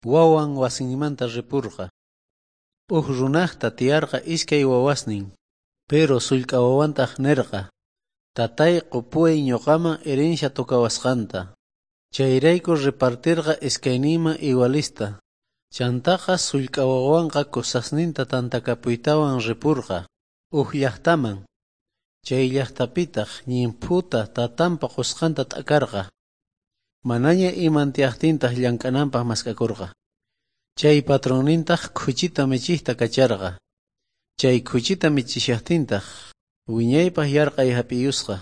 Wawan wasinmanta ripurqa. Uj runajta tiyarqa iskay wawasnin. Pero sullk'a wawantaj nerqa: Tatay, qopuway ñoqaman herencia tocawasqanta. Chayrayku repartirqa iskayninman igualista. Chantaqa sullk'a wawanqa cosasninta tantakapuytawan ripurqa uj llajtaman. Chay llajtapitaj llimphuta tatanpa qosqanta t'akarqa. Manaña iman tiyajtintaj llank'ananpaj mask'akorqa. Chay patronnintaj khuchita michejta kacharqa. Chay khuchita michishajtintaj wiñaypaj yarqhay jap'iyusqa.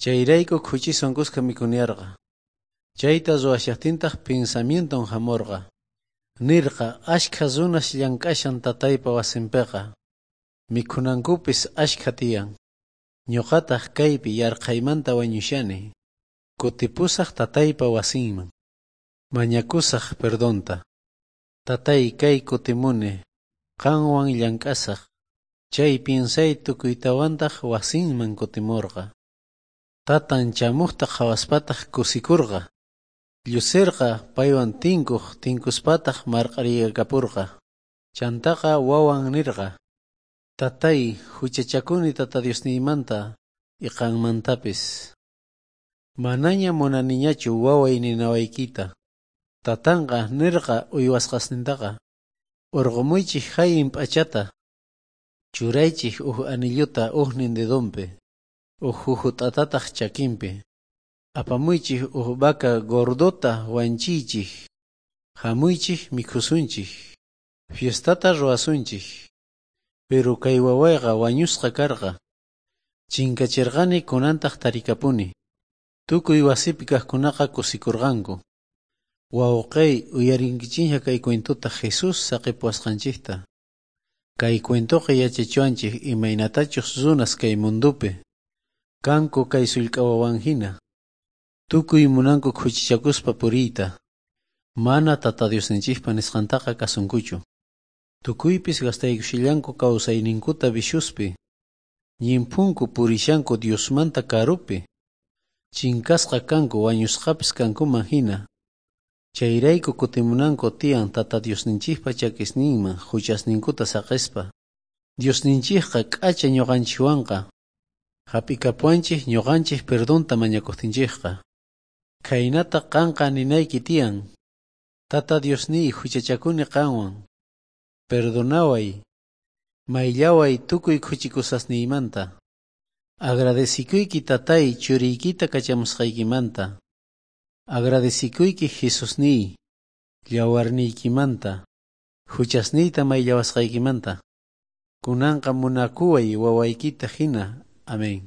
Chayrayku khuchiswan kuska mikhuniyarqa. Chayta ruwashajtintaj pensamienton jamorqa. Nerqa ashkha runas llank'ashan tataypa wasinpeqa. Mikhunankupis ashkha tiyan. Ñuqataj kaypi yarqhaymanta wañushani. Kutipusaj tataypa wasinman. Mañakusaj perdonta. Tatay, kay kutimuni. Qanwan llank'asaj. Chay piensay tukuytawantaj wasinman kutimorqa. Tatan chamojta qhawaspataj kusikorqa. Lluserqa paywan tinkoj, tinkuspataj marq'ariykaporqa. Chantaqa wawan nerqa: Tatay, juchachakuni Tata Diosniymanta y qanmantapis. Manaña munaniñachu waway ninawaykita. Tatanqa nerqa uywasqasnintaqa: Orqomuychej jallin p'achata, churaychej uj anillota ujnin dedonpi, uj jujut'atataj chakinpi. Apamuychej uj vaca gordota wanchiychej. Jamuychej mikhusunchej. Fiestata ruwasunchej. Pero kay wawayqa wañusqa karqa. Chinkacherqani, kunantaj tarikapuni. Tukuy wasipi kajkunaqa kusikorqanku. Wawqey, uyarinkichikña kay cuentota Jesús saqepuwasqanchejta. Kay cuentoqa yachachiwanchej imaynatachus runas kay mundopi kanku kay sullk'a wawan jina. Tukuy munanku khuchichakuspa puriyta. Mana Tata Diosninchejpa nisqantaqa kasunkuchu. Tukuypis gastaykushallanku kawsayninkuta viciospi. Ñimphunku purishanku Diosmanta karupi. Chinkasqa kanku wañusqapis kankuman jina. Chayrayku kutimunanku tiyan Tata Diosninchejpa chakisninman juchasninkuta saqespa. Diosninchejqa k'acha ñuqanchikwanqa. Jap'ikapuwanchej ñuqanchej perdonta mañakojtinchejqa. Khaynata qanqa ninayki tiyan: Tata Diosniy, juchachakuni qanwan. Perdonaway, mayllaway tukuy khuchikusqasniymanta. Agradecikuyki Tatay churiykita kachamusqaykimanta. Agradecikuyki Jesusniy, yawarniykimanta, juchasniyta mayllawasqaykimanta. Kunanqa munakuway wawaykita jina. Amén.